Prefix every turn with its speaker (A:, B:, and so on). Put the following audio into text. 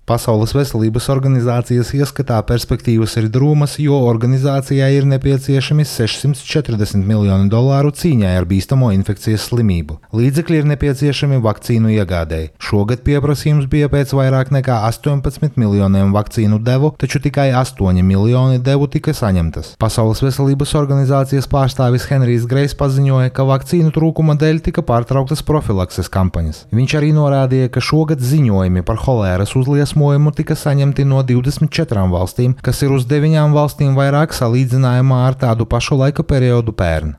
A: Pasaules veselības organizācijas ieskatā perspektīvas ir drūmas, jo organizācijai ir nepieciešami $640 miljoni cīņai ar bīstamo infekcijas slimību. Līdzekļi ir nepieciešami vakcīnu iegādēji. Šogad pieprasījums bija pēc vairāk nekā 18 miljoniem vakcīnu devu, taču tikai 8 miljoni devu tika saņemtas. Pasaules veselības organizācijas pārstāvis Henrijs Grejs paziņoja, ka vakcīnu trūkuma dēļ tika pārtrauktas profilakses kampaņas. Viņš arī norādīja, ka šogad ziņojumi par holēras uzliesmojumu tika saņemti no 24 valstīm, kas ir uz 9 valstīm vairāk salīdzinājumā ar tādu pašu laika periodu pērn.